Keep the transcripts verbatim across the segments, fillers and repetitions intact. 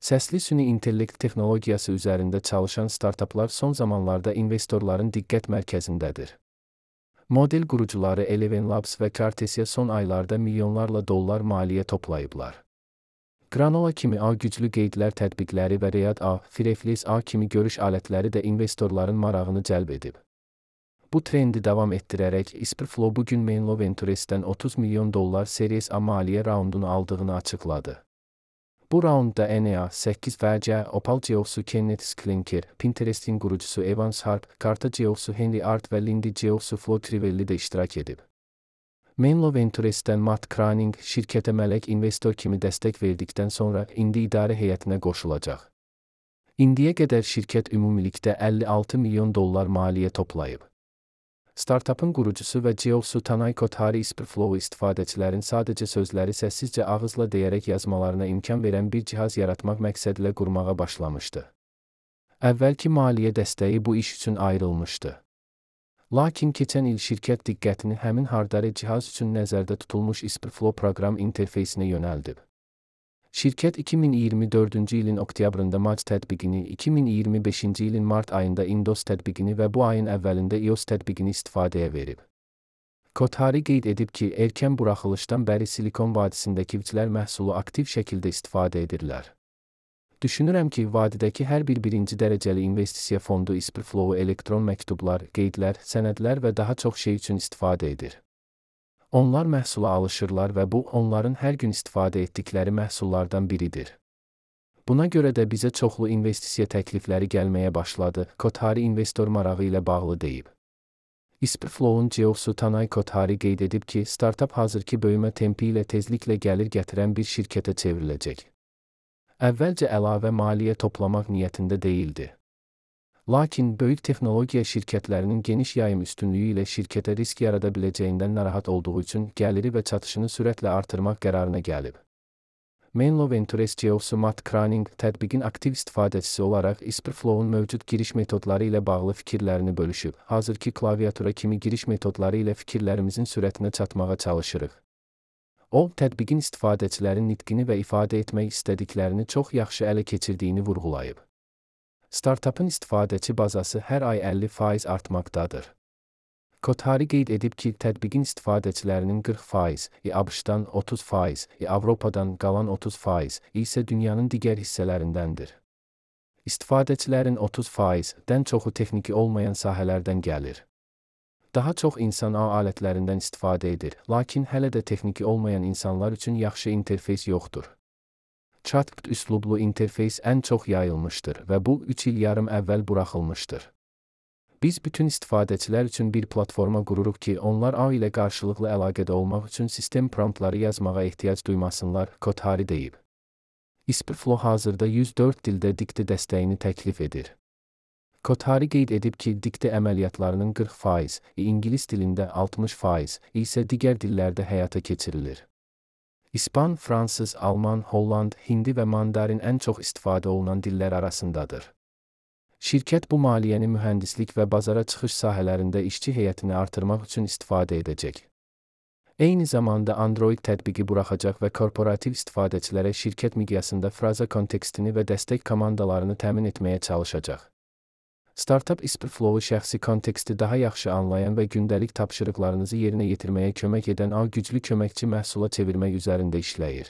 Səsli süni intellekt texnologiyası üzərində çalışan startaplar son zamanlarda investorların diqqət mərkəzindədir. Model qurucuları Eleven Labs və Cartessia son aylarda milyonlarla dollar maliyyə toplayıblar. Granola kimi A güclü qeydlər tətbiqləri və Riyad A, Fireflies A kimi görüş alətləri də investorların marağını cəlb edib. Bu trendi davam etdirərək Isprflow bugün Menlo Ventures'dən otuz milyon dollar Series A maliyyə raundunu aldığını açıqladı. Bu raundda N E A səkkiz və C, Opal C E O'su Kenneth Sklinker, Pinterest'in qurucusu Evans Harp, Carta C E O'su Henry Art və Lindy C E O'su Flo Trivelli də iştirak edib. Menlo Ventures'dən Matt Croning şirkətə mələk investor kimi dəstək verdikdən sonra indi idarə heyətinə qoşulacaq. İndiyə qədər şirkət ümumilikdə əlli altı milyon dollar maliyyə toplayıb. Startupın qurucusu və C E O'su Tanay Kothari Isprflow'u istifadəçilərin sadəcə sözləri səssizcə ağızla deyərək yazmalarına imkan verən bir cihaz yaratmaq məqsədilə qurmağa başlamışdı. Əvvəlki maliyyə dəstəyi bu iş üçün ayrılmışdı. Lakin keçən il şirkət diqqətini həmin hardare cihaz üçün nəzərdə tutulmuş Isprflow proqram interfeysinə yönəldib. Şirkət iki min iyirmi dördüncü ilin oktyabrında Mac tətbiqini, iki min iyirmi beşinci ilin mart ayında Indos tətbiqini və bu ayın əvvəlində iOS tətbiqini istifadəyə verib. Kothari qeyd edib ki, erkən buraxılışdan bəri Silikon vadisindəki vçlər məhsulu aktiv şəkildə istifadə edirlər. Düşünürəm ki, vadidəki hər bir birinci dərəcəli investisiya fondu Isprflow'u elektron məktublar, qeydlər, sənədlər və daha çox şey üçün istifadə edir. Onlar məhsula alışırlar və bu, onların hər gün istifadə etdikləri məhsullardan biridir. Buna görə də bizə çoxlu investisiya təklifləri gəlməyə başladı, Kothari investor marağı ilə bağlı deyib. Isprflow'un C E O'su Tanay Kothari qeyd edib ki, startup hazırki böyümə tempi ilə tezliklə gəlir gətirən bir şirkətə çevriləcək. Əvvəlcə əlavə maliyyə toplamaq niyyətində deyildi. Lakin böyük texnologiya şirkətlərinin geniş yayım üstünlüyü ilə şirkətə risk yarada biləcəyindən narahat olduğu üçün gəliri və çatışını sürətlə artırmaq qərarına gəlib. Menlo Ventures C E O'su Matt Croning tətbiqin aktiv istifadəçisi olaraq Isprflow'un mövcud giriş metodları ilə bağlı fikirlərini bölüşüb. Hazırki klaviatura kimi giriş metodları ilə fikirlərimizin sürətinə çatmağa çalışırıq. O, tətbiqin istifadəçilərin nitqini və ifadə etmək istədiklərini çox yaxşı ələ keçirdiyini vurğulayıb. Startupın istifadəçi bazası hər ay əlli faiz artmaqdadır. Kothari qeyd edib ki, tətbiqin istifadəçilərinin qırx faiz, ABŞ-dan otuz faiz, Avropadan qalan otuz faiz isə dünyanın digər hissələrindəndir. İstifadəçilərin otuz faizdən çoxu texniki olmayan sahələrdən gəlir. Daha çox insan ağ alətlərindən istifadə edir, lakin hələ də texniki olmayan insanlar üçün yaxşı interfeys yoxdur. Chatbot üslublu interfeys ən çox yayılmışdır və bu üç il yarım əvvəl buraxılmışdır. Biz bütün istifadəçilər üçün bir platforma qururuq ki, onlar ağ ilə qarşılıqlı əlaqədə olmaq üçün sistem promptları yazmağa ehtiyac duymasınlar, Kothari deyib. Isprflow hazırda yüz dörd dildə dikti dəstəyini təklif edir. Kothari qeyd edib ki, dikti əməliyyatlarının qırx faiz, İngilis dilində altmış faiz isə digər dillərdə həyata keçirilir. İspan, fransız, alman, holland, hindi və mandarin ən çox istifadə olunan dillər arasındadır. Şirkət bu maliyyəni mühəndislik və bazara çıxış sahələrində işçi heyətini artırmaq üçün istifadə edəcək. Eyni zamanda Android tətbiqi buraxacaq və korporativ istifadəçilərə şirkət miqyasında fraza kontekstini və dəstək komandalarını təmin etməyə çalışacaq. Startup Isprflow'u şəxsi konteksti daha yaxşı anlayan və gündəlik tapşırıqlarınızı yerinə yetirməyə kömək edən ağ güclü köməkçi məhsula çevirmək üzərində işləyir.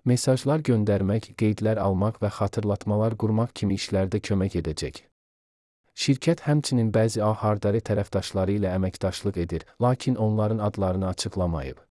Mesajlar göndərmək, qeydlər almaq və xatırlatmalar qurmaq kimi işlərdə kömək edəcək. Şirkət həmçinin bəzi ağ hardare tərəfdaşları ilə əməkdaşlıq edir, lakin onların adlarını açıqlamayıb.